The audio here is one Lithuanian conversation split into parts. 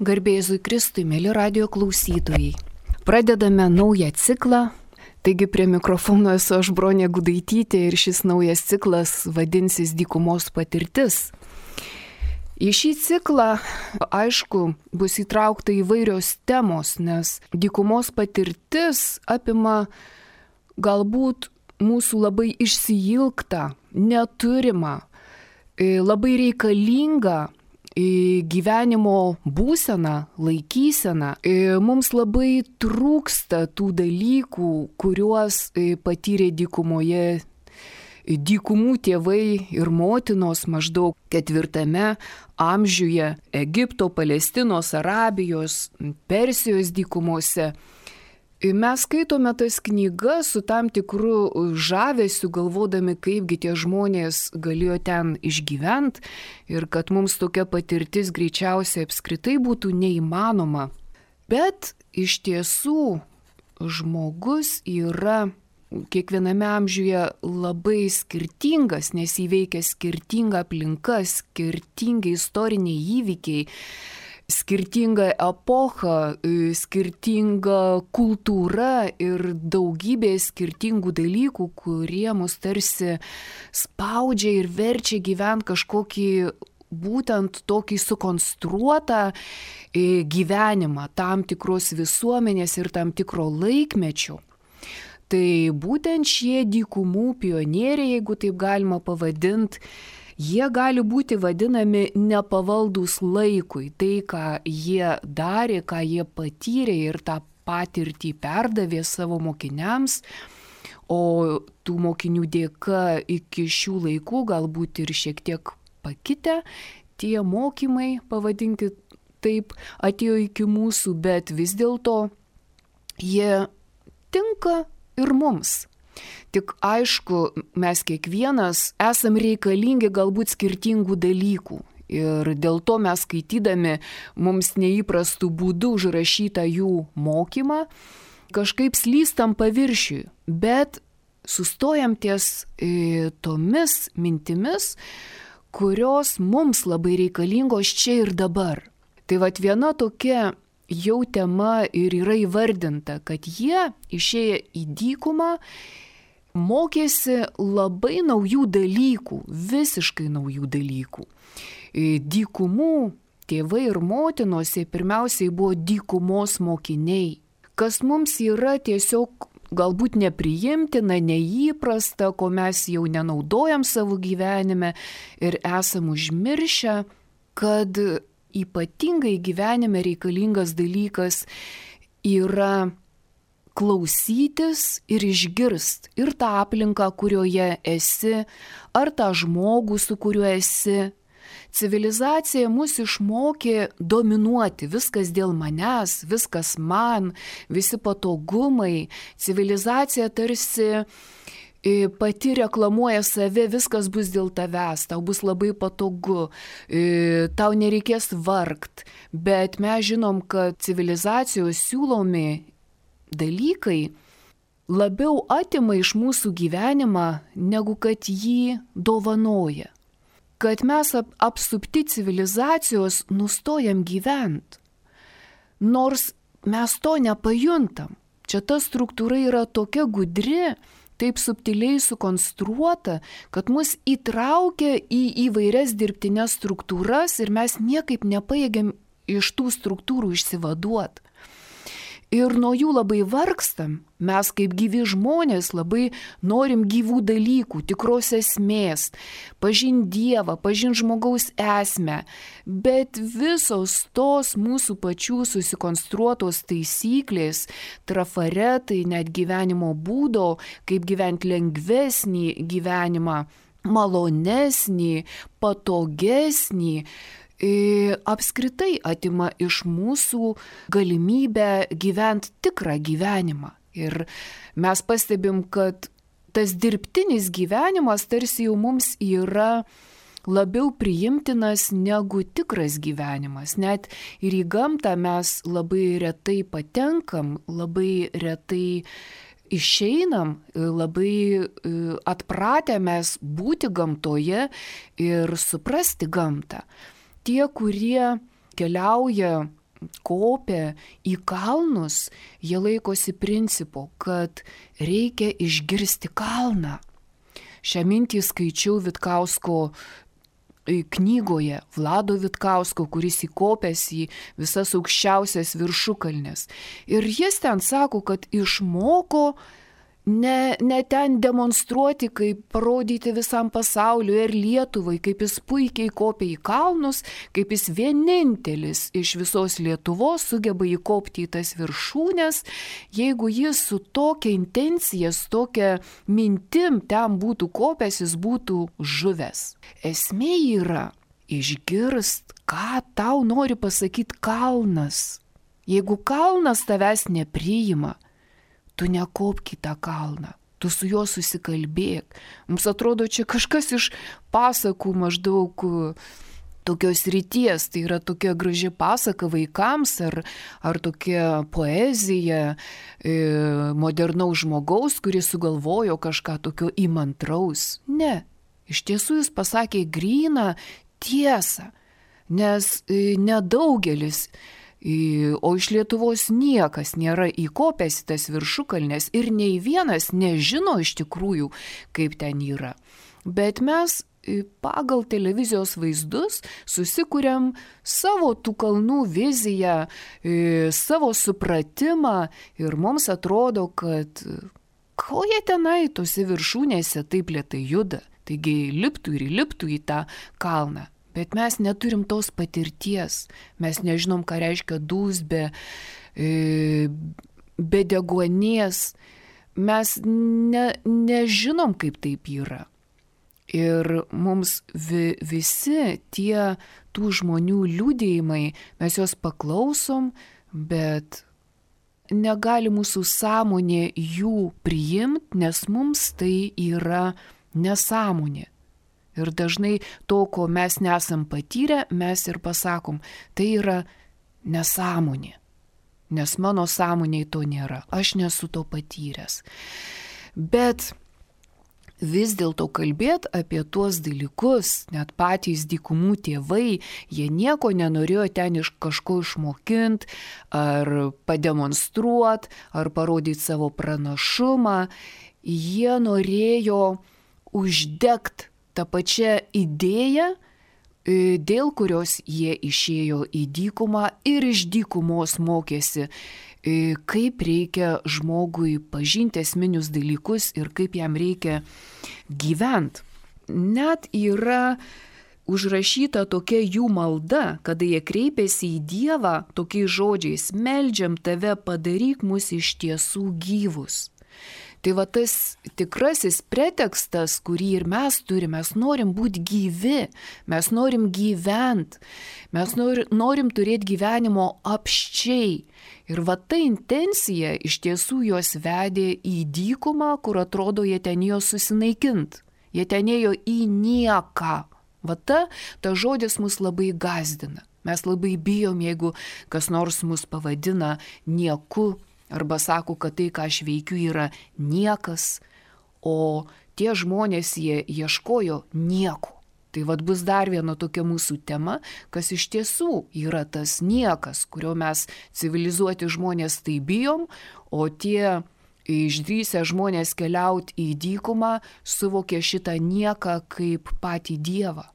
Garbė Jėzui Kristui, mėly radijo klausytojai. Pradedame naują ciklą, taigi prie mikrofono esu aš Bronė Gudaitytė ir šis naujas ciklas vadinsis Dykumos patirtis. Į šį ciklą, aišku, bus įtraukta įvairios temos, nes dykumos patirtis apima galbūt mūsų labai išsiilgtą, neturimą, labai reikalingą gyvenimo būseną, laikyseną. Mums labai trūksta tų dalykų, kuriuos patyrė dykumoje dykumų tėvai ir motinos maždaug 4 amžiuje Egipto, Palestinos, Arabijos, Persijos dykumose. Mes skaitome tas knygas su tam tikru žavesiu, galvodami, kaipgi tie žmonės galėjo ten išgyventi ir kad mums tokia patirtis greičiausiai apskritai būtų neįmanoma. Bet iš tiesų žmogus yra kiekviename amžiuje labai skirtingas, nes įveikia skirtingą aplinką, skirtingi istoriniai įvykiai, skirtinga epocha, skirtinga kultūra ir daugybė skirtingų dalykų, kurie mus tarsi spaudžia ir verčia gyventi kažkokį būtent tokį sukonstruotą gyvenimą tam tikros visuomenės ir tam tikro laikmečio. Tai būtent šie dykumų pionieriai, jeigu taip galima pavadinti, jie gali būti vadinami nepavaldūs laikui. Tai, ką jie darė, ką jie patyrė ir tą patirtį perdavė savo mokiniams, o tų mokinių dėka iki šių laikų galbūt ir šiek tiek pakitę, tie mokymai, pavadinkit taip, atėjo iki mūsų, bet vis dėlto jie tinka ir mums. Tik aišku, mes kiekvienas esam reikalingi galbūt skirtingų dalykų. Ir dėl to mes skaitydami mums neįprastų būdų užrašytą jų mokymą, kažkaip slystam paviršiui, bet sustojam ties tomis mintimis, kurios mums labai reikalingos čia ir dabar. Tai vat viena tokia jau tema ir yra įvardinta, kad jie išėję į dykumą mokėsi labai naujų dalykų, visiškai naujų dalykų. Dykumų tėvai ir motinos pirmiausiai buvo dykumos mokiniai, kas mums yra tiesiog galbūt nepriimtina, neįprasta, ko mes jau nenaudojam savo gyvenime ir esam užmiršę, kad ypatingai gyvenime reikalingas dalykas yra klausytis ir išgirst ir tą aplinką, kurioje esi, ar tą žmogų, su kuriuo esi. Civilizacija mus išmokė dominuoti, viskas dėl manęs, viskas man, visi patogumai. Civilizacija tarsi pati reklamuoja save, viskas bus dėl tavęs, tau bus labai patogu, tau nereikės vargt. Bet mes žinom, kad civilizacijos siūlomi dalykai labiau atima iš mūsų gyvenimą, negu kad jį dovanoja. Kad mes apsupti civilizacijos nustojam gyventi, nors mes to nepajuntam. Čia ta struktūra yra tokia gudri, taip subtiliai sukonstruota, kad mus įtraukia į įvairias dirbtines struktūras ir mes niekaip nepajėgiam iš tų struktūrų išsivaduoti. Ir nuo jų labai vargstam, mes kaip gyvi žmonės labai norim gyvų dalykų, tikros esmės, pažinti Dievą, pažinti žmogaus esmę, bet visos tos mūsų pačių susikonstruotos taisyklės, trafaretai, net gyvenimo būdo, kaip gyventi lengvesnį gyvenimą, malonesnį, patogesnį, apskritai atima iš mūsų galimybę gyventi tikrą gyvenimą. Ir mes pastebim, kad tas dirbtinis gyvenimas tarsi jau mums yra labiau priimtinas negu tikras gyvenimas. Net ir į gamtą mes labai retai patenkam, labai retai išeinam, labai atpratę mes būti gamtoje ir suprasti gamtą. Tie, kurie keliauja kopia į kalnus, jie laikosi principo, kad reikia išgirsti kalną. Šią mintį skaičiau Vitkausko knygoje, Vlado Vitkausko, kuris įkopęs į visas aukščiausias viršukalnes. Ir jis ten sako, kad išmoko ne ten demonstruoti, kaip parodyti visam pasauliu ir Lietuvai, kaip jis puikiai kopia į kalnus, kaip jis vienintelis iš visos Lietuvos sugeba įkopti į tas viršūnes. Jeigu jis su tokia intencija, su tokia mintim ten būtų kopęs, jis būtų žuvęs. Esmė yra išgirst, ką tau nori pasakyti kalnas. Jeigu kalnas tavęs nepriima, tu nekopk į tą kalną, tu su juo susikalbėk. Mums atrodo, čia kažkas iš pasakų maždaug tokios ryties, tai yra tokia graži pasaka vaikams ar tokia poezija modernaus žmogaus, kuris sugalvojo kažką tokio įmantraus. Ne, iš tiesų jis pasakė gryną tiesą, nes nedaugelis, o iš Lietuvos niekas nėra įkopęs į tas viršukalnes ir nei vienas nežino iš tikrųjų, kaip ten yra. Bet mes pagal televizijos vaizdus susikuriam savo tų kalnų viziją, savo supratimą ir mums atrodo, kad ko jie tenai tose viršūnėse taip lėtai juda, taigi liptų ir įliptų į tą kalną. Bet mes neturim tos patirties, mes nežinom, ką reiškia dūzbė, be deguonies, mes nežinom, kaip taip yra. Ir mums visi tie tų žmonių liudijimai, mes juos paklausom, bet negali mūsų sąmonė jų priimti, nes mums tai yra nesąmonė. Ir dažnai to, ko mes nesam patyrę, mes ir pasakom, tai yra nesąmonė. Nes mano sąmonėj to nėra, aš nesu to patyręs. Bet vis dėlto kalbėti apie tuos dalykus, net patys dykumų tėvai, jie nieko nenorėjo ten iš kažko išmokinti, ar pademonstruoti, ar parodyti savo pranašumą. Jie norėjo uždegti tą pačią idėją, dėl kurios jie išėjo į dykumą ir iš dykumos mokėsi, kaip reikia žmogui pažinti esminius dalykus ir kaip jam reikia gyventi. Net yra užrašyta tokia jų malda, kada jie kreipėsi į Dievą tokiais žodžiais: meldžiam tave, padaryk mus iš tiesų gyvus. Tai va tas tikrasis pretekstas, kurį ir mes turime, mes norim būti gyvi, mes norim gyventi, mes norim turėti gyvenimo apsčiai. Ir va ta intencija iš tiesų juos vedė į dykumą, kur atrodo jie ten ėjo susinaikinti, jie ten ėjo į nieką. Va ta žodis mus labai gąsdina. Mes labai bijom, jeigu kas nors mus pavadina nieku, arba sako, kad tai, ką aš veikiu, yra niekas, o tie žmonės jie ieškojo nieko. Tai vad bus dar viena tokia mūsų tema, kas iš tiesų yra tas niekas, kurio mes civilizuoti žmonės tai bijom, o tie išdrįsę žmonės keliauti į dykumą suvokė šitą nieką kaip patį Dievą,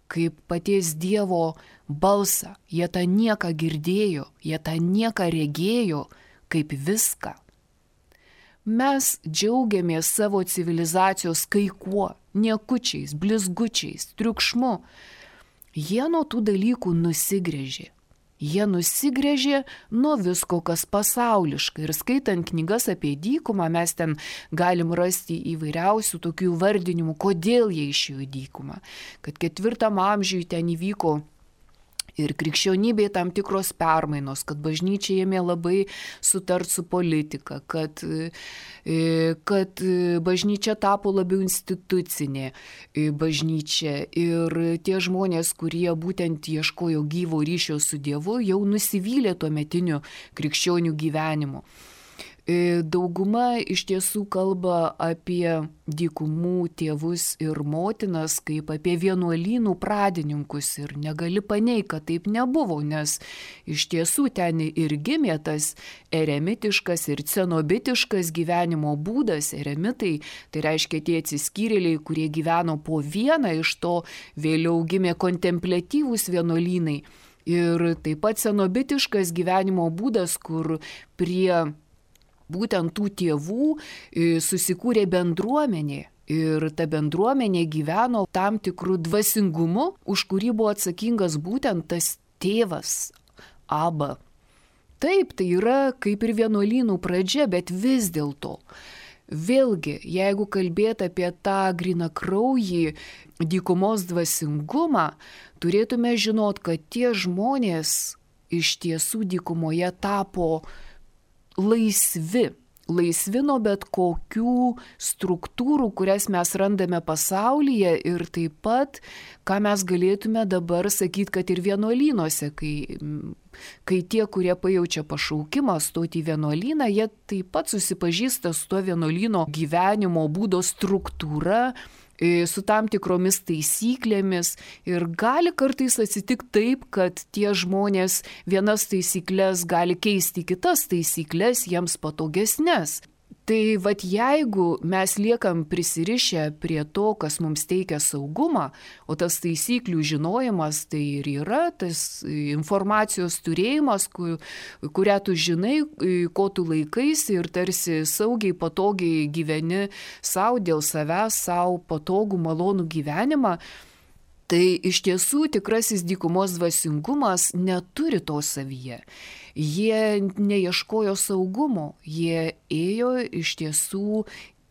kaip paties Dievo balsą. Jie tą nieką girdėjo, jie tą nieką regėjo, kaip viską. Mes džiaugiamės savo civilizacijos kai kuo, niekučiais, blizgučiais, triukšmu. Jie nuo tų dalykų nusigręžė. Jie nusigręžė nuo visko, kas pasauliška. Ir skaitant knygas apie dykumą, mes ten galim rasti įvairiausių tokių vardinimų, kodėl jie išėjo į dykumą. Kad 4 amžiuje ten įvyko ir krikščionybėje tam tikros permainos, kad bažnyčia ėmė labai sutart su politika, kad bažnyčia tapo labiau institucinė bažnyčia ir tie žmonės, kurie būtent ieškojo gyvo ryšio su Dievu, jau nusivylė tuometiniu krikščionių gyvenimu. Dauguma iš tiesų kalba apie dykumų tėvus ir motinas kaip apie vienuolynų pradininkus ir negali paneigti, kad taip nebuvo, nes iš tiesų ten ir gimė tas eremitiškas ir cenobitiškas gyvenimo būdas. Eremitai tai reiškia tie atsiskyrėliai, kurie gyveno po vieną, iš to vėliau gimė kontempliatyvūs vienuolynai. Ir taip pat cenobitiškas gyvenimo būdas, kur prie būtent tų tėvų susikūrė bendruomenė. Ir ta bendruomenė gyveno tam tikrų dvasingumu, už kurį buvo atsakingas būtent tas tėvas, Aba. Taip, tai yra kaip ir vienuolynų pradžia, bet vis dėlto. Vėlgi, jeigu kalbėt apie tą grynakraujį dykumos dvasingumą, turėtume žinot, kad tie žmonės iš tiesų dykumoje tapo laisvi nuo bet kokių struktūrų, kurias mes randame pasaulyje ir taip pat, ką mes galėtume dabar sakyti, kad ir vienuolynuose, kai tie, kurie pajaučia pašaukimą stoti į vienuolyną, jie taip pat susipažįsta su tuo vienuolyno gyvenimo būdo struktūra, su tam tikromis taisyklėmis ir gali kartais atsitikti taip, kad tie žmonės vienas taisyklės gali keisti kitas taisyklės, jiems patogesnės. Tai vat jeigu mes liekam prisirišę prie to, kas mums teikia saugumą, o tas taisyklių žinojimas tai ir yra tas informacijos turėjimas, kurią tu žinai, ko tu laikaisi ir tarsi saugiai, patogiai gyveni savo dėl savęs, savo patogų, malonų gyvenimą, tai iš tiesų tikrasis dykumos dvasingumas neturi to savyje. Jie neieškojo saugumo, jie ėjo iš tiesų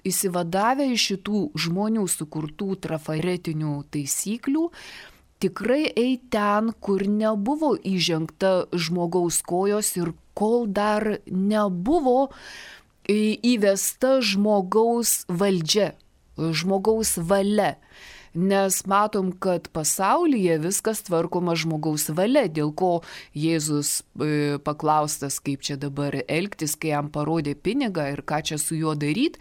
įsivadavę iš šitų žmonių sukurtų trafaretinių taisyklių, tikrai eiti ten, kur nebuvo įžengta žmogaus kojos ir kol dar nebuvo įvesta žmogaus valdžia, žmogaus valia. Nes matom, kad pasaulyje viskas tvarkoma žmogaus valia, dėl ko Jėzus paklaustas, kaip čia dabar elgtis, kai jam parodė pinigą ir ką čia su juo daryti,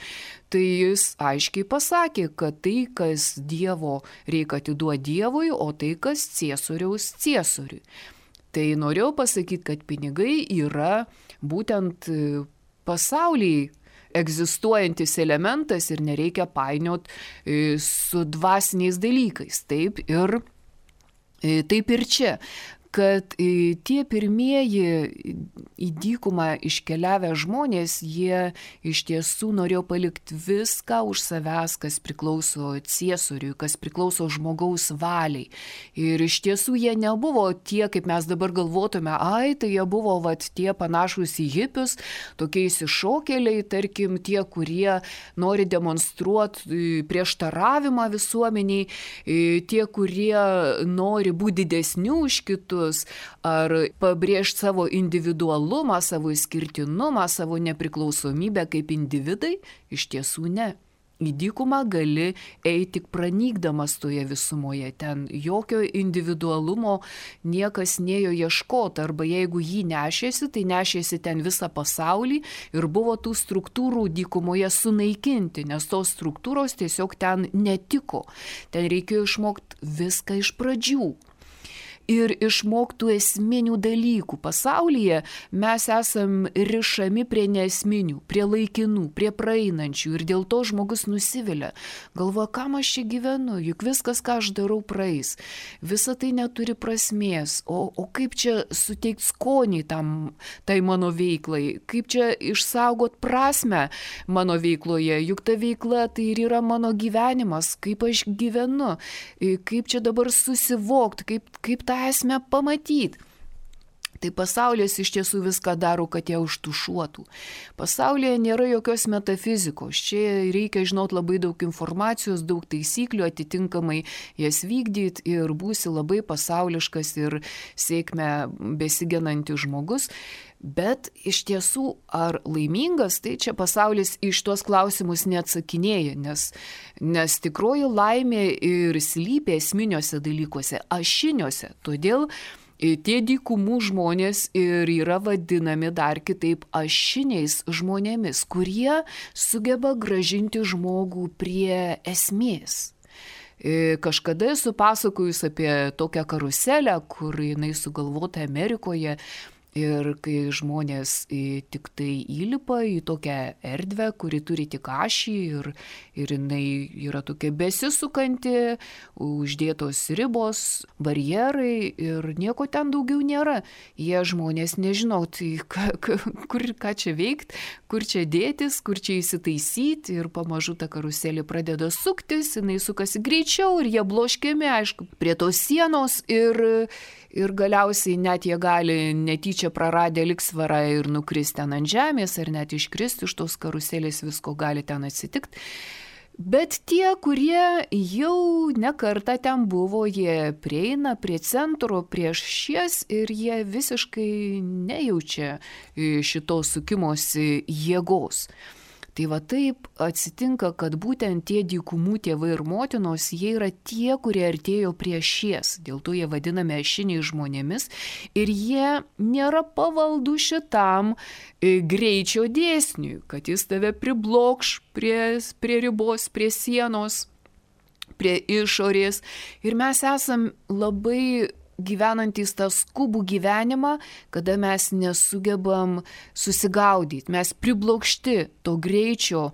tai jis aiškiai pasakė, kad tai, kas Dievo reikia atiduoti Dievui, o tai, kas Ciesoriaus Ciesoriui. Tai norėjau pasakyti, kad pinigai yra būtent pasaulyje egzistuojantis elementas ir nereikia painiot su dvasiniais dalykais. Taip ir čia, kad tie pirmieji į dykumą iškeliavę žmonės, jie iš tiesų norėjo palikti viską už savęs, kas priklauso Ciesoriui, kas priklauso žmogaus valiai. Ir iš tiesų jie nebuvo tie, kaip mes dabar galvotume, tai jie buvo tie panašus į hipius, tokie išsišokėliai, tarkim, tie, kurie nori demonstruoti prieštaravimą visuomeniai, tie, kurie nori būti didesni už kitus, ar pabrėžti savo individualumą, savo išskirtinumą, savo nepriklausomybę kaip individai, iš tiesų ne. Į dykumą gali eiti tik pranykdamas toje visumoje, ten jokio individualumo niekas nėjo ieškoti, arba jeigu jį nešėsi, tai nešėsi ten visą pasaulį ir buvo tų struktūrų dykumoje sunaikinti, nes tos struktūros tiesiog ten netiko. Ten reikėjo išmokti viską iš pradžių. Ir išmoktų esminių dalykų. Pasaulyje mes esam rišami prie neesminių, prie laikinų, prie praeinančių ir dėl to žmogus nusivilia. Galvoja, kam aš čia gyvenu, juk viskas, ką aš darau, praeis. Visa tai neturi prasmės. O kaip čia suteikti skonį tai mano veiklai? Kaip čia išsaugot prasmę mano veikloje? Juk ta veikla tai ir yra mano gyvenimas. Kaip aš gyvenu? Kaip čia dabar susivokti? Kaip tą esmę pamatyti. Tai pasaulis iš tiesų viską daro, kad jie užtušuotų. Pasaulyje nėra jokios metafizikos. Čia reikia žinoti labai daug informacijos, daug taisyklių, atitinkamai jas vykdyti ir būsi labai pasauliškas ir sėkmę besigenantis žmogus. Bet iš tiesų, ar laimingas, tai čia pasaulis iš tuos klausimus neatsakinėja, nes tikroji laimė ir slypia esminiuose dalykuose, ašiniuose. Todėl Tie dykumų žmonės ir yra vadinami dar kitaip ašiniais žmonėmis, kurie sugeba grąžinti žmogų prie esmės. Kažkada esu pasakojus apie tokią karuselę, kur jinai sugalvota Amerikoje. Ir kai žmonės tik tai įlipa į tokią erdvę, kuri turi tik ašį ir jinai yra tokia besisukanti, uždėtos ribos, barjerai ir nieko ten daugiau nėra. Jie žmonės nežinau, tai ką čia veikti, kur čia dėtis, kur čia įsitaisyti ir pamažu ta karuselė pradeda suktis, jinai sukasi greičiau ir jie bloškiami, aišku, prie tos sienos ir galiausiai net jie gali netyčia praradę lygsvarą ir nukristi ten ant žemės, ar net iškristi iš tos karuselės, visko gali ten atsitikti. Bet tie, kurie jau nekartą ten buvo, jie prieina prie centro prieš šies ir jie visiškai nejaučia šitos sukimosi jėgos. Tai va taip atsitinka, kad būtent tie dykumų tėvai ir motinos, jie yra tie, kurie artėjo prie šies, dėl to jie vadinami ašiniai žmonėmis ir jie nėra pavaldų šitam greičio dėsniui, kad jis tave priblokš prie ribos, prie sienos, prie išorės ir mes esam labai gyvenantys tą skubų gyvenimą, kada mes nesugebam susigaudyti, mes priblokšti to greičio,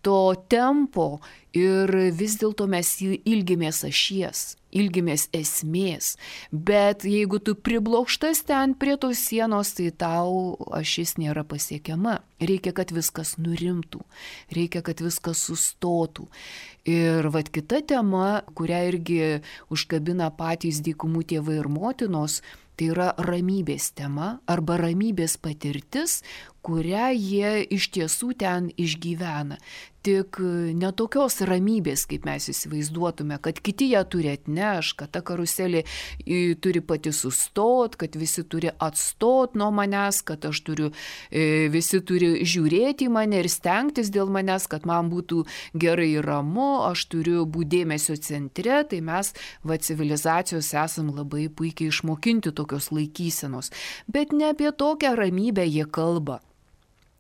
to tempo ir vis dėlto mes ilgimės ašies, ilgimės esmės, bet jeigu tu priblokštas ten prie tos sienos, tai tau ašis nėra pasiekiama. Reikia, kad viskas nurimtų, reikia, kad viskas sustotų. Ir vat kita tema, kurią irgi užkabina patys dykumų tėvai ir motinos, tai yra ramybės tema arba ramybės patirtis, kurią jie iš tiesų ten išgyvena. Tik ne tokios ramybės, kaip mes įsivaizduotume, kad kiti ją turi atneš, kad ta karuselė turi pati sustot, kad visi turi atstot nuo manęs, kad visi turi žiūrėti į mane ir stengtis dėl manęs, kad man būtų gerai ir ramu, aš turiu būti dėmesio centre, tai mes civilizacijos esam labai puikiai išmokinti tokios laikysenos. Bet ne apie tokią ramybę jie kalba.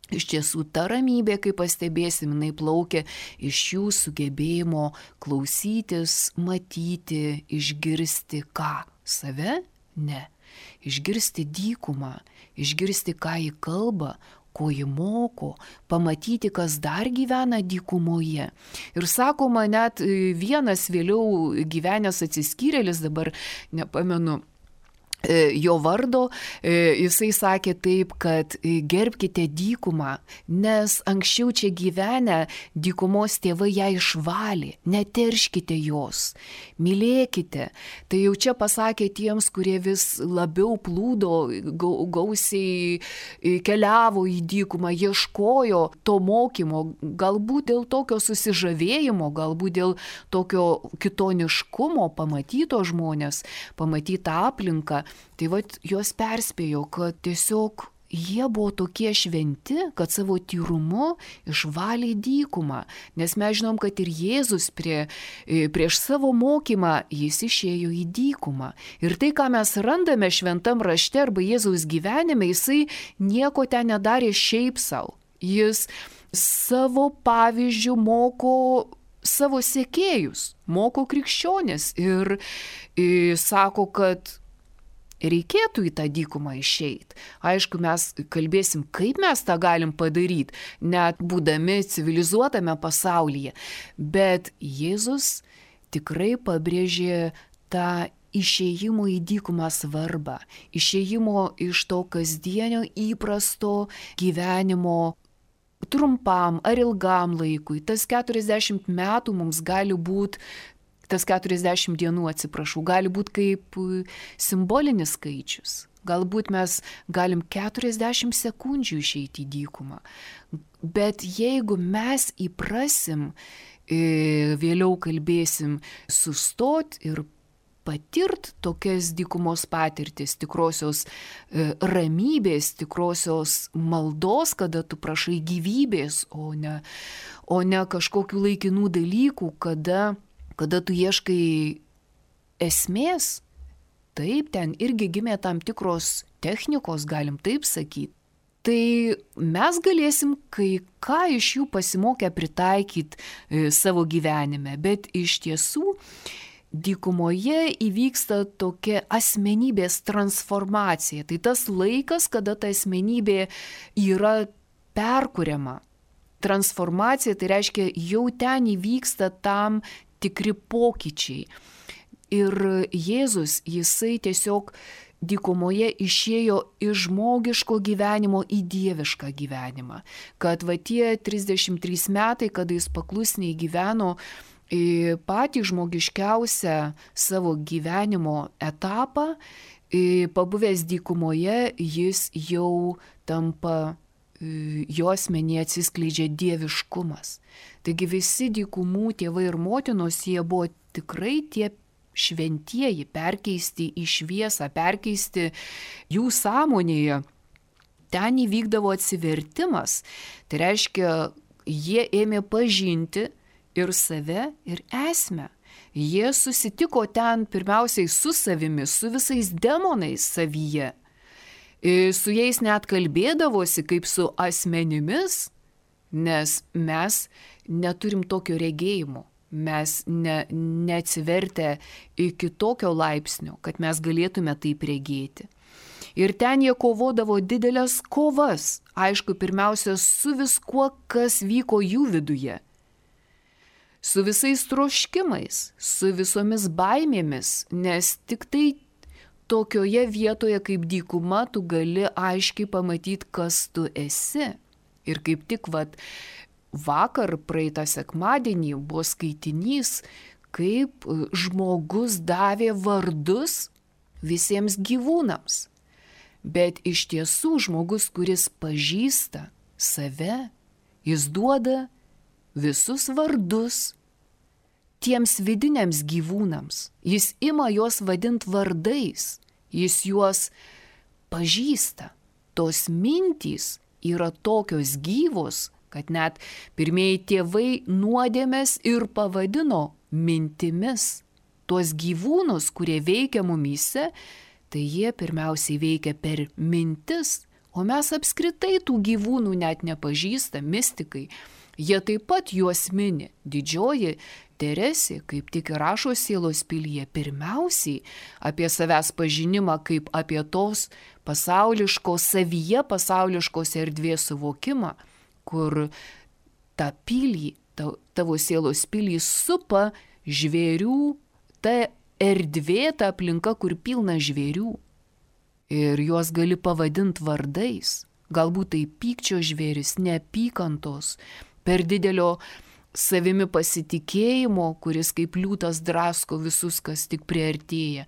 Iš tiesų, ta ramybė, kaip pastebėsim, jinai plaukia iš jų sugebėjimo klausytis, matyti, išgirsti ką? Save? Ne. Išgirsti dykumą, išgirsti, ką ji kalba, ko ji moko, pamatyti, kas dar gyvena dykumoje. Ir sakoma, net vienas vėliau gyvenęs atsiskyrėlis, dabar nepamenu jo vardo, jisai sakė taip, kad gerbkite dykumą, nes anksčiau čia gyvenę dykumos tėvai ją išvalė, neterškite jos, mylėkite. Tai jau čia pasakė tiems, kurie vis labiau plūdo, gausiai keliavo į dykumą, ieškojo to mokymo, galbūt dėl tokio susižavėjimo, galbūt dėl tokio kitoniškumo, pamatyto žmonės, pamatytą aplinką. Tai vat juos perspėjo, kad tiesiog jie buvo tokie šventi, kad savo tyrumu išvalė dykumą. Nes mes žinom, kad ir Jėzus prieš savo mokymą jis išėjo į dykumą. Ir tai, ką mes randame šventam rašte arba Jėzaus gyvenime, jisai nieko ten nedarė šiaip savo. Jis savo pavyzdžių moko savo sekėjus, moko krikščionis ir sako, kad reikėtų į tą dykumą išeiti. Aišku, mes kalbėsim, kaip mes tą galim padaryti, net būdami civilizuotame pasaulyje. Bet Jėzus tikrai pabrėžė tą išėjimo į dykumą svarbą, išėjimo iš to kasdienio įprasto gyvenimo trumpam ar ilgam laikui. Tas 40 metų mums gali būti, tas 40 dienų, gali būti kaip simbolinis skaičius. Galbūt mes galim 40 sekundžių išeiti į dykumą. Bet jeigu mes įprasim, vėliau kalbėsim, sustot ir patirt tokias dykumos patirtis, tikrosios ramybės, tikrosios maldos, kada tu prašai gyvybės, o ne kažkokių laikinų dalykų, kada tu ieškai esmės, taip, ten irgi gimė tam tikros technikos, galim taip sakyti. Tai mes galėsim kai ką iš jų pasimokę pritaikyti savo gyvenime, bet iš tiesų dykumoje įvyksta tokia asmenybės transformacija. Tai tas laikas, kada ta asmenybė yra perkuriama. Transformacija tai reiškia, jau ten įvyksta tam tikri pokyčiai. Ir Jėzus, jisai tiesiog dykumoje išėjo iš žmogiško gyvenimo į dievišką gyvenimą. Kad va tie 33 metai, kada jis paklusniai gyveno patį žmogiškiausią savo gyvenimo etapą, pabuvęs dykumoje, jis jau tampa, jo asmenyje atsiskleidžia dieviškumas. Taigi visi dykumų tėvai ir motinos, jie buvo tikrai tie šventieji, perkeisti į šviesą, perkeisti jų sąmonėje. Ten įvykdavo atsivertimas. Tai reiškia, jie ėmė pažinti ir save, ir esmę. Jie susitiko ten pirmiausiai su savimi, su visais demonais savyje. Su jais net kalbėdavosi kaip su asmenimis, nes mes neturim tokio regėjimo. Mes neatsivertę iki tokio laipsnio, kad mes galėtume taip regėti. Ir ten jie kovodavo didelės kovas, aišku, pirmiausia, su viskuo, kas vyko jų viduje. Su visais troškimais, su visomis baimėmis, nes tik tai tokioje vietoje kaip dykuma tu gali aiškiai pamatyti, kas tu esi. Ir kaip tik vakar praeitą sekmadienį buvo skaitinys, kaip žmogus davė vardus visiems gyvūnams. Bet iš tiesų žmogus, kuris pažįsta save, jis duoda visus vardus tiems vidiniams gyvūnams. Jis ima juos vadinti vardais, jis juos pažįsta. Tos mintys yra tokios gyvos, kad net pirmieji tėvai nuodėmes ir pavadino mintimis. Tuos gyvūnus, kurie veikia mumyse, tai jie pirmiausiai veikia per mintis, o mes apskritai tų gyvūnų net nepažįsta, mistikai. Jie taip pat juos mini. Didžioji Teresė, kaip tik ir rašo Sielos pilyje, pirmiausiai apie savęs pažinimą kaip apie tos pasauliškos, savyje pasauliškos erdvės suvokimą, kur tą pilį, tavo sielos pilį supa žvėrių, ta erdvė, ta aplinka, kur pilna žvėrių. Ir juos gali pavadinti vardais. Galbūt tai pykčio žvėris, neapykantos, per didelio savimi pasitikėjimo, kuris kaip liūtas drasko visus, kas tik priartėja.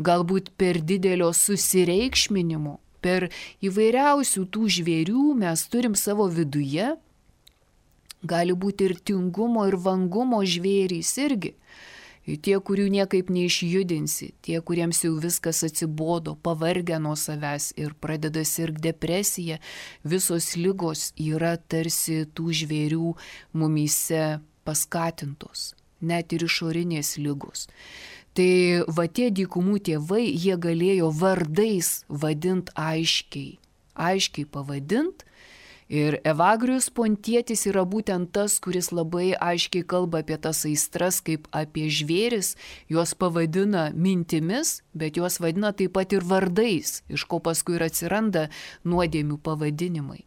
Galbūt per didelio susireikšminimo. Per įvairiausių tų žvėrių mes turim savo viduje, gali būti ir tingumo, ir vangumo žvėrys irgi. Tie, kurių niekaip neišjudinsi, tie, kuriems jau viskas atsibodo, pavargę nuo savęs ir pradeda sirgti depresija, visos ligos yra tarsi tų žvėrių mumyse paskatintos, net ir išorinės ligos. Tai tie dykumų tėvai, jie galėjo vardais vadinti aiškiai pavadinti. Ir Evagrijus Pontietis yra būtent tas, kuris labai aiškiai kalba apie tas aistras kaip apie žvėris, juos pavadina mintimis, bet juos vadina taip pat ir vardais, iš ko paskui ir atsiranda nuodėmių pavadinimai.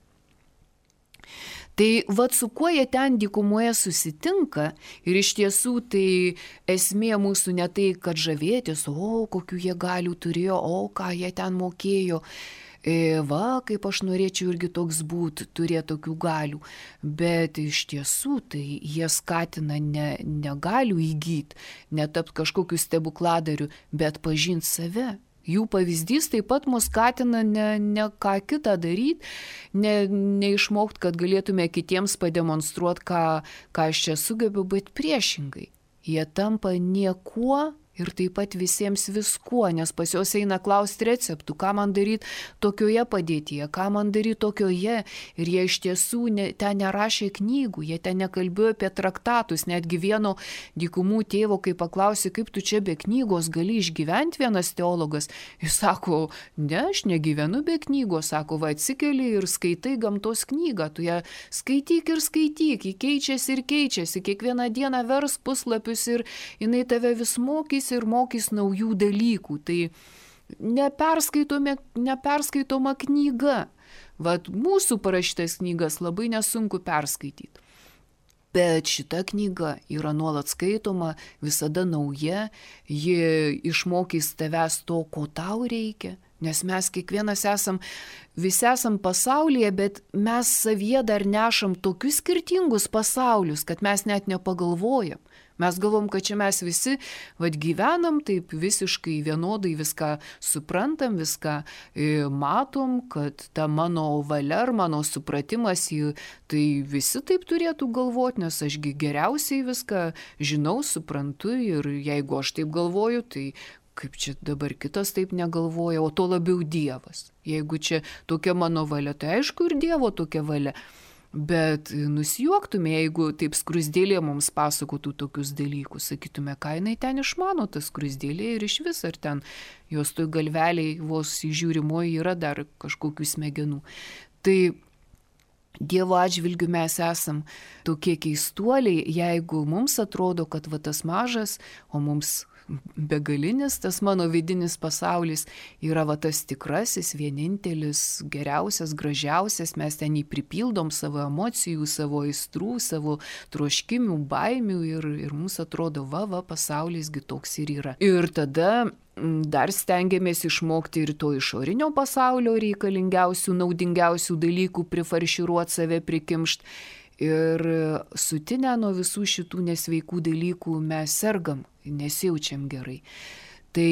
Tai su kuo jie ten dykumoje susitinka ir iš tiesų tai esmė mūsų ne tai, kad žavėtis, kokių jie galių turėjo, ką jie ten mokėjo. Kaip aš norėčiau irgi toks būti, turėti tokių galių. Bet iš tiesų tai jie skatina ne galių įgyti, netapti kažkokiu stebukladariu, bet pažinti save. Jų pavyzdys taip pat mus skatina ne ką kitą daryti, neišmokti, kad galėtume kitiems pademonstruoti, ką aš čia sugebu, bet priešingai. Jie tampa niekuo ir taip pat visiems viskuo, nes pas juos eina klausti receptų, ką man daryti tokioje padėtyje, ką man daryti tokioje. Ir jie iš tiesų ten nerašė knygų, jie ten nekalbėjo apie traktatus. Netgi vieno dykumų tėvo, kai paklausė, kaip tu čia be knygos gali išgyventi, vienas teologas, jis sako, ne, aš negyvenu be knygos, sako, va atsikeli ir skaitai gamtos knygą, tu ją skaityk ir skaityk, ji keičiasi ir keičiasi, kiekvieną dieną vers puslapius ir jinai tave vis mokys ir mokys naujų dalykų. Tai neperskaitoma knyga. Vat mūsų parašytas knygas labai nesunku perskaityti. Bet šita knyga yra nuolat skaitoma, visada nauja, ji išmokys tavęs to, ko tau reikia. Nes mes kiekvienas visi esam pasaulyje, bet mes savyje dar nešam tokius skirtingus pasaulius, kad mes net nepagalvojam. Mes galvom, kad čia mes visi gyvenam taip visiškai vienodai, viską suprantam, viską matom, kad ta mano valia ar mano supratimas, tai visi taip turėtų galvoti, nes ašgi geriausiai viską žinau, suprantu ir jeigu aš taip galvoju, tai kaip čia dabar kitas taip negalvoja, o to labiau Dievas. Jeigu čia tokia mano valia, tai aišku ir Dievo tokia valia. Bet nusijuoktume, jeigu taip skruzdėlė mums pasakotų tokius dalykus, sakytume, ką jinai ten išmano, tas skruzdėlė ir iš vis, ar ten jos toj galveliai vos įžiūrimoji yra dar kažkokių smegenų. Tai Dievo atžvilgiu mes esam tokie keistuoliai, jeigu mums atrodo, kad va tas mažas, o mums begalinis, tas mano vidinis pasaulis yra va tas tikrasis, vienintelis, geriausias, gražiausias, mes ten jį pripildom savo emocijų, savo aistrų, savo troškimių, baimių ir mums atrodo, va, pasaulisgi toks ir yra. Ir tada dar stengiamės išmokti ir to išorinio pasaulio reikalingiausių, naudingiausių dalykų prifarširuoti, save prikimšt. Ir sutinę nuo visų šitų nesveikų dalykų mes sergam, nesijaučiam gerai. Tai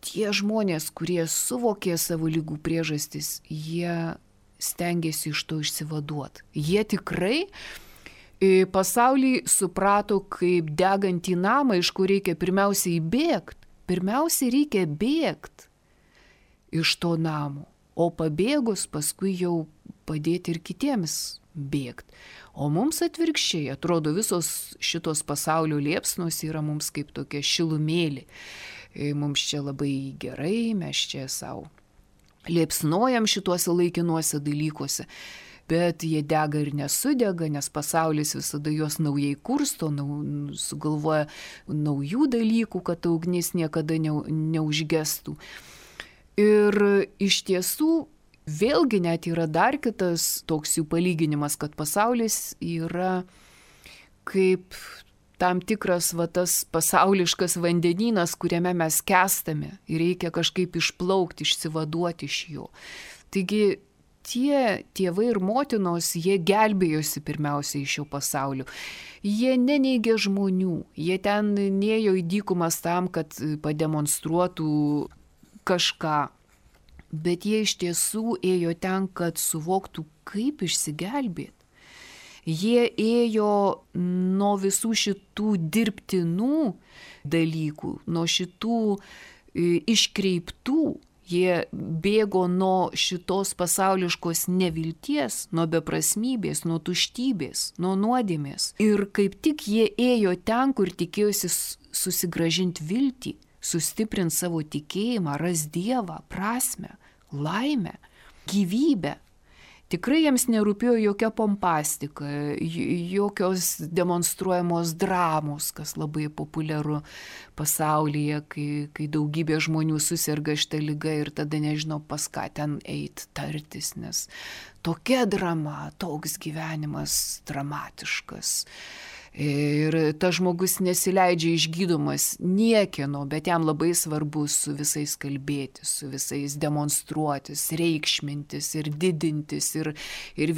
tie žmonės, kurie suvokė savo ligų priežastis, jie stengiasi iš to išsivaduoti. Jie tikrai pasaulį suprato kaip degantį namą, iš kur reikia pirmiausiai bėgti. Pirmiausiai reikia bėgti iš to namo, o pabėgus paskui jau padėti ir kitiems bėgti. O mums atvirkščiai, atrodo, visos šitos pasaulio liepsnos yra mums kaip tokia šilumėlė. Mums čia labai gerai, mes čia savo liepsnojam šituose laikinuose dalykuose, bet jie dega ir nesudega, nes pasaulis visada juos naujai kursto, sugalvoja naujų dalykų, kad ta ugnis niekada neužgestų. Ir iš tiesų, vėlgi net yra dar kitas toks jų palyginimas, kad pasaulis yra kaip tam tikras tas pasauliškas vandenynas, kuriame mes skęstame ir reikia kažkaip išplaukti, išsivaduoti iš jo. Taigi tie tėvai ir motinos, jie gelbėjosi pirmiausiai iš šio pasaulio. Jie neneigė žmonių, jie ten nėjo į dykumas tam, kad pademonstruotų kažką. Bet jie iš tiesų ėjo ten, kad suvoktų, kaip išsigelbėti. Jie ėjo nuo visų šitų dirbtinų dalykų, nuo šitų iškreiptų. Jie bėgo nuo šitos pasauliškos nevilties, nuo beprasmybės, nuo tuštybės, nuo nuodėmės. Ir kaip tik jie ėjo ten, kur tikėjosi susigrąžinti viltį, sustiprinti savo tikėjimą, ras Dievą, prasmę, laimę, gyvybę. Tikrai jiems nerūpėjo jokia pompastika, jokios demonstruojamos dramos, kas labai populiaru pasaulyje, kai daugybė žmonių susirga šitą ligą ir tada nežino, pas ką ten eit tartis, nes tokia drama, toks gyvenimas dramatiškas. Ir tas žmogus nesileidžia išgydomas niekieno, bet jam labai svarbu su visais kalbėtis, su visais demonstruotis, reikšmintis ir didintis ir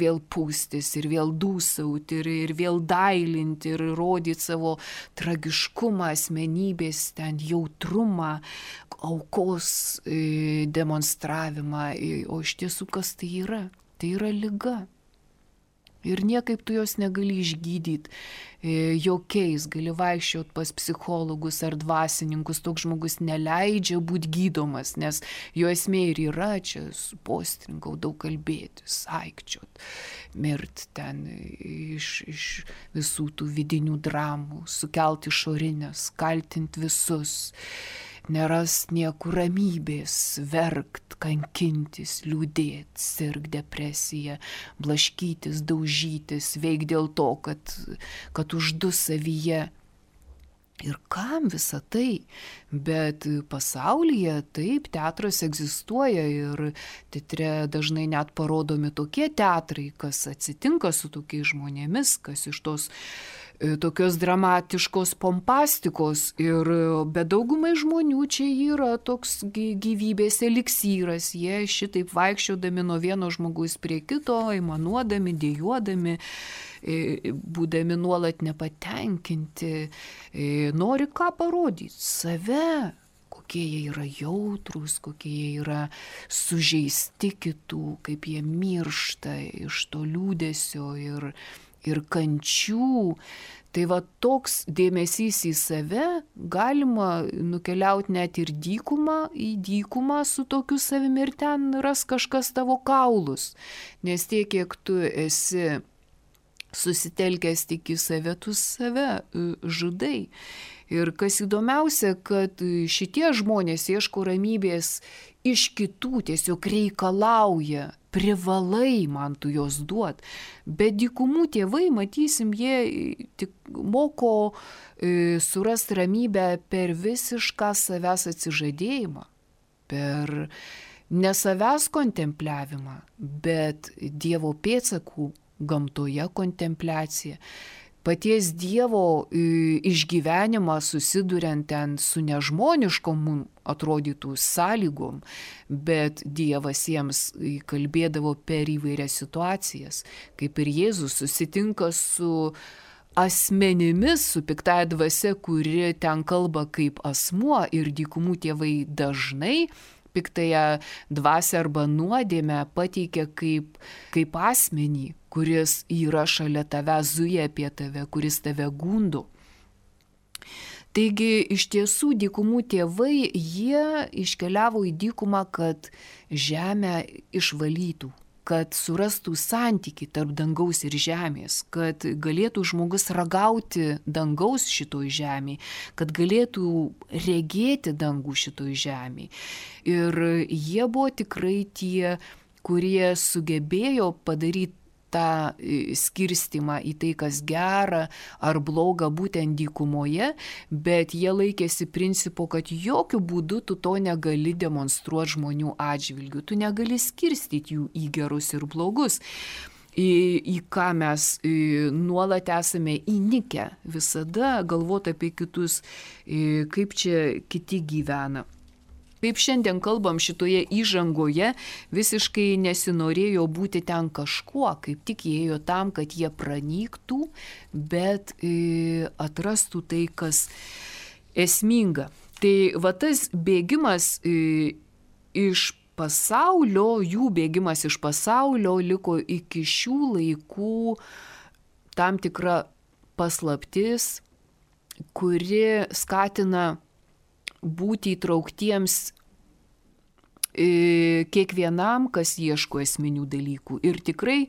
vėl pūstis, ir vėl dūsauti, ir vėl dailinti, ir rodyti savo tragiškumą, asmenybės, ten jautrumą, aukos demonstravimą. O iš tiesų kas tai yra? Tai yra liga. Ir niekaip tu jos negali išgydyti jokiais, gali vaikščioti pas psichologus ar dvasininkus, toks žmogus neleidžia būti gydomas, nes jo esmė ir yra čia postringau, daug kalbėti, saikčiot, mirt ten iš visų tų vidinių dramų, sukelti išorinės, kaltinti visus. Nerast niekur ramybės, verkt, kankintis, liūdėt, sirgt depresiją, blaškytis, daužytis, veik dėl to, kad uždu savyje. Ir kam visa tai? Bet pasaulyje taip, teatras egzistuoja ir teatre dažnai net parodomi tokie teatrai, kas atsitinka su tokiais žmonėmis, kas iš tos tokios dramatiškos pompastikos, bet daugumai žmonių čia yra toks gyvybės eliksyras, jie šitaip vaikščiodami nuo vieno žmogaus prie kito, aimanuodami, dejuodami, būdami nuolat nepatenkinti, nori ką parodyti, save, kokie jie yra jautrūs, kokie jie yra sužeisti kitų, kaip jie miršta iš to liūdesio ir kančių. Tai va toks dėmesys į save galima nukeliauti net ir į dykumą su tokiu savimi ir ten ras kažkas tavo kaulus. Nes tiek, kiek tu esi susitelkęs tik į save, tu save žudai. Ir kas įdomiausia, kad šitie žmonės ieško ramybės iš kitų, tiesiog reikalauja, privalai man tu jos duot. Bet dykumų tėvai, matysim, jie tik moko surasti ramybę per visišką savęs atsižadėjimą, per ne savęs kontempliavimą, bet Dievo pėdsakų gamtoje kontempliacija. Paties Dievo išgyvenimą susiduriant ten su nežmoniškom mums atrodytų sąlygom, bet Dievas jiems kalbėdavo per įvairias situacijas, kaip ir Jėzus susitinka su asmenimis, su piktąja dvasia, kuri ten kalba kaip asmuo, ir dykumų tėvai dažnai piktąją dvasią arba nuodėmę pateikia kaip asmenį, kuris yra šalia tavęs, zuja apie tave, kuris tave gundo. Taigi iš tiesų dykumų tėvai, jie iškeliavo į dykumą, kad žemę išvalytų, kad surastų santykį tarp dangaus ir žemės, kad galėtų žmogus ragauti dangaus šitoj žemėje, kad galėtų regėti dangų šitoj žemėje. Ir jie buvo tikrai tie, kurie sugebėjo padaryti tą skirstimą į tai, kas gera ar bloga būtent dykumoje, bet jie laikėsi principo, kad jokių būdų tu to negali demonstruoti žmonių atžvilgių, tu negali skirstyti jų į gerus ir blogus, į ką mes nuolat esame įnikę, visada galvoti apie kitus, kaip čia kiti gyvena. Kaip šiandien kalbam šitoje įžangoje, visiškai nesinorėjo būti ten kažkuo, kaip tik ėjo tam, kad jie pranyktų, bet atrastų tai, kas esminga. Tai va tas bėgimas iš pasaulio, jų bėgimas iš pasaulio liko iki šių laikų tam tikra paslaptis, kuri skatina būti įtrauktiems kiekvienam, kas ieško esminių dalykų. Ir tikrai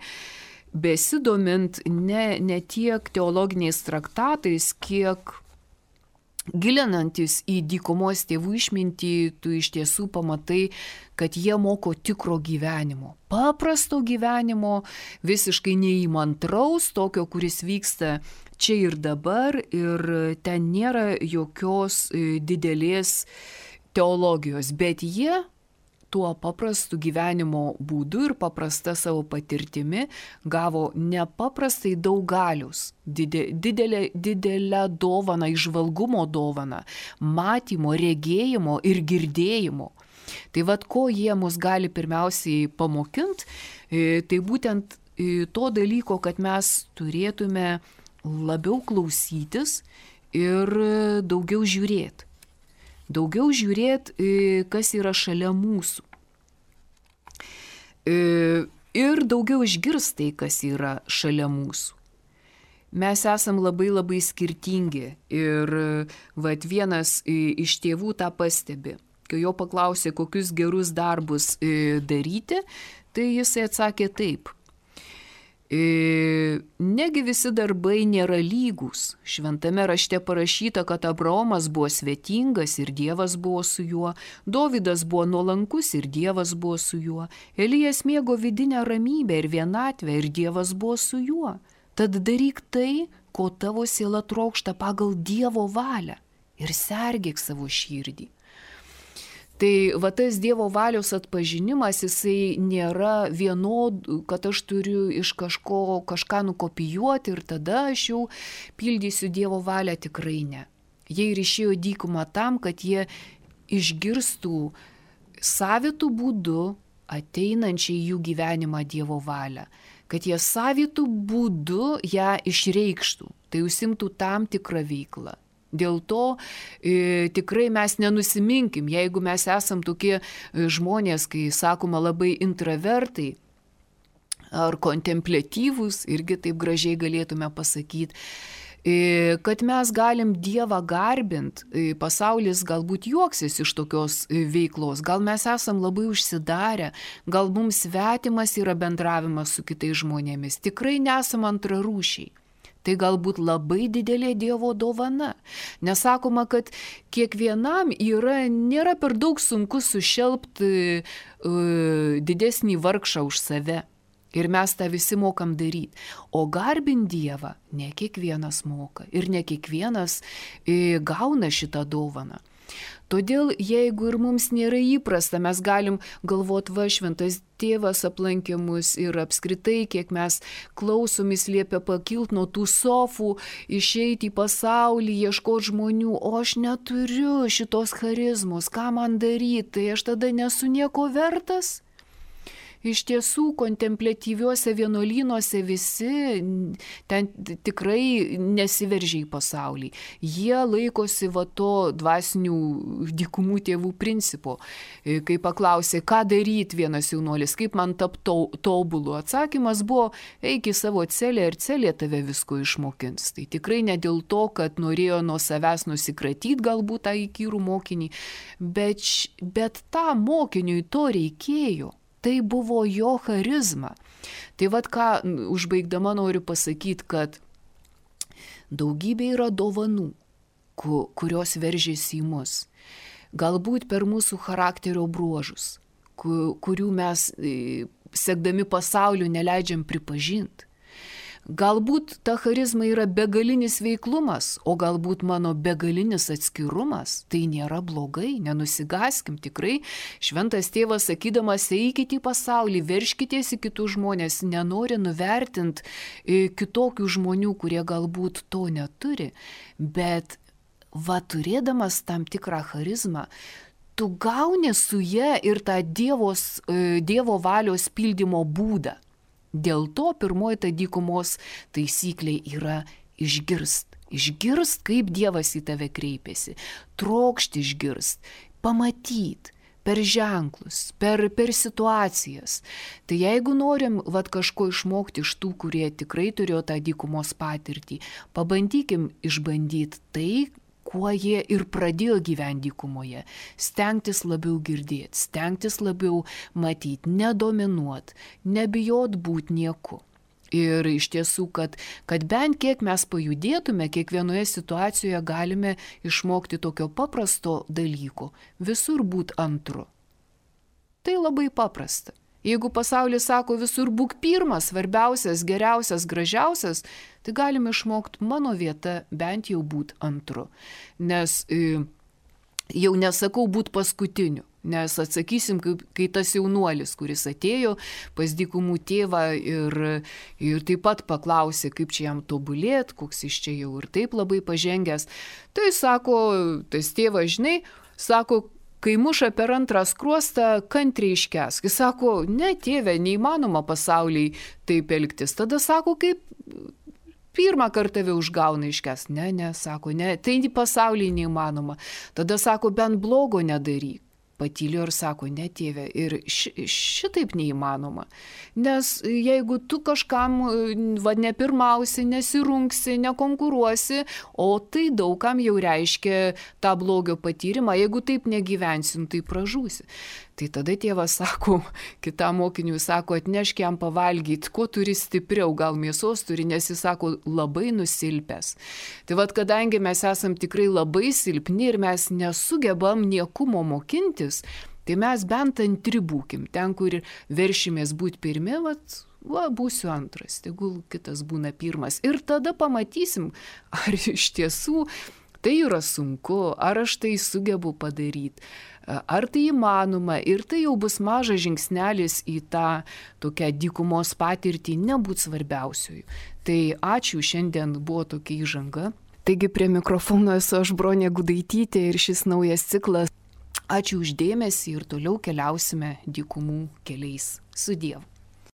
besidomint ne tiek teologiniais traktatais, kiek gilinantis į dykumos tėvų išmintį, tu iš tiesų pamatai, kad jie moko tikro gyvenimo, paprasto gyvenimo, visiškai neįmantraus, tokio, kuris vyksta čia ir dabar, ir ten nėra jokios didelės teologijos, bet jie tuo paprastu gyvenimo būdu ir paprasta savo patirtimi gavo nepaprastai daug galios, didelę dovaną, įžvalgumo dovaną, matymo, regėjimo ir girdėjimo. Tai vad, ko jie mus gali pirmiausiai pamokinti, tai būtent to dalyko, kad mes turėtume labiau klausytis ir daugiau žiūrėti. Daugiau žiūrėti, kas yra šalia mūsų. ir daugiau išgirs tai, kas yra šalia mūsų. Mes esam labai labai skirtingi ir vat vienas iš tėvų tą pastebi. Kai jo paklausė, kokius gerus darbus daryti, tai jisai atsakė taip. Negi visi darbai nėra lygus. Šventame rašte parašyta, kad Abraomas buvo svetingas ir Dievas buvo su juo, Dovydas buvo nuolankus ir Dievas buvo su juo, Elijas mėgo vidinę ramybę ir vienatvę ir Dievas buvo su juo. Tad daryk tai, ko tavo siela trokšta pagal Dievo valią ir sergėk savo širdį. Tai va tas Dievo valios atpažinimas, jisai nėra kad aš turiu iš kažką nukopijuoti ir tada aš jau pildysiu Dievo valią, tikrai ne. Jie ir išėjo dykumą tam, kad jie išgirstų savitų būdų ateinančiai jų gyvenimą Dievo valią, kad jie savitų būdų ją išreikštų, tai užsimtų tam tikrą veiklą. Dėl to tikrai mes nenusiminkim, jeigu mes esam tokie žmonės, kai sakoma labai intravertai ar kontempliatyvūs, irgi taip gražiai galėtume pasakyti, kad mes galim Dievą garbint, pasaulis galbūt juoksis iš tokios veiklos, gal mes esam labai užsidarę, gal mums svetimas yra bendravimas su kitais žmonėmis, tikrai nesam antrarūšiai. Tai galbūt labai didelė Dievo dovana. Nesakoma, kad kiekvienam nėra per daug sunku sušelpti didesnį vargšą už save. Ir mes tą visi mokam daryti. O garbint Dievą ne kiekvienas moka ir ne kiekvienas gauna šitą dovaną. Todėl, jeigu ir mums nėra įprasta, mes galim galvoti, va, šventas tėvas aplankė mus ir apskritai, kiek mes klausomis liepia pakilti nuo tų sofų, išeiti į pasaulį, ieškoti žmonių, o aš neturiu šitos charizmos, ką man daryti, tai aš tada nesu nieko vertas. Iš tiesų, kontempliatyviuose vienuolynuose visi ten tikrai nesiveržia į pasaulį. Jie laikosi va to dvasinių dykumų tėvų principo. Kai paklausė, ką daryti vienas jaunuolis, kaip man tapti tobulu, atsakymas buvo, eik į savo celę ir celė tave visko išmokins. Tai tikrai ne dėl to, kad norėjo nuo savęs nusikratyti galbūt tą įkyrų mokinį, bet tam mokiniui to reikėjo. Tai buvo jo charizma. Tai vat ką užbaigdama noriu pasakyti, kad daugybė yra dovanų, kurios veržiasi į mus. Galbūt per mūsų charakterio bruožus, kurių mes sekdami pasauliu neleidžiam pripažinti. Galbūt ta charizma yra begalinis veiklumas, o galbūt mano begalinis atskirumas. Tai nėra blogai, nenusigaskim tikrai. Šventas tėvas sakydamas, eikite į pasaulį, verškitės į kitus žmonės, nenori nuvertinti kitokių žmonių, kurie galbūt to neturi. Bet va, turėdamas tam tikrą charizmą, tu gauni su ja ir tą Dievo valios pildymo būdą. Dėl to pirmoji ta dykumos taisyklė yra išgirst. Išgirst, kaip Dievas į tave kreipiasi. Trokšti išgirst, pamatyt per ženklus, per situacijas. Tai jeigu norim kažko išmokti iš tų, kurie tikrai turėjo tą dykumos patirtį, pabandykim išbandyti tai, kuo jie ir pradėjo gyventi dykumoje. Stengtis labiau girdėti, stengtis labiau matyti, nedominuoti, nebijot būti nieku. Ir iš tiesų, kad bent kiek mes pajudėtume, kiekvienoje situacijoje galime išmokti tokio paprasto dalyko – visur būti antru. Tai labai paprasta. Jeigu pasaulis sako visur būk pirmas, svarbiausias, geriausias, gražiausias, tai galime išmokti mano vieta bent jau būti antru. Nes jau nesakau būti paskutiniu, nes atsakysim, kai tas jaunuolis, kuris atėjo pas dykumų tėvą ir taip pat paklausė, kaip čia jam tobulėt, koks jis čia jau ir taip labai pažengęs. Tai sako, tas tėvas, žinai, sako, kai muša per antrą skruostą, kantriai iškęsk. Jis sako, ne tėve, neįmanoma pasauliai taip elgtis. Tada sako, kaip pirmą kartą tave užgauna iškęsk. Ne, sako, ne, tai pasauliai neįmanoma. Tada sako, bent blogo nedaryk. patylėjo ir sako, ne tėve, ir šitaip neįmanoma. Nes jeigu tu kažkam nepirmausi, nesirungsi, nekonkuruosi, o tai daugam jau reiškia tą blogio patyrimą, jeigu taip negyvensim, tai pražūsi. Tai tada tėvas sako, kitam mokiniui sako, atnešk jam pavalgyti, ko turi stipriau, gal mėsos turi, nes jis sako, labai nusilpęs. Tai vad, kadangi mes esam tikrai labai silpni ir mes nesugebam niekumo mokintis, tai mes bent antri būkim, ten, kur veršimės būti pirmi, būsiu antras, tegul kitas būna pirmas. Ir tada pamatysim, ar iš tiesų tai yra sunku, ar aš tai sugebu padaryti. Ar tai įmanoma ir tai jau bus mažas žingsnelis į tą tokią dykumos patirtį nebūt svarbiausiųjų. Tai ačiū, šiandien buvo tokia įžanga. Taigi prie mikrofono esu aš Bronė Gudaitytė ir šis naujas ciklas. Ačiū už dėmesį ir toliau keliausime dykumų keliais. Sudiev.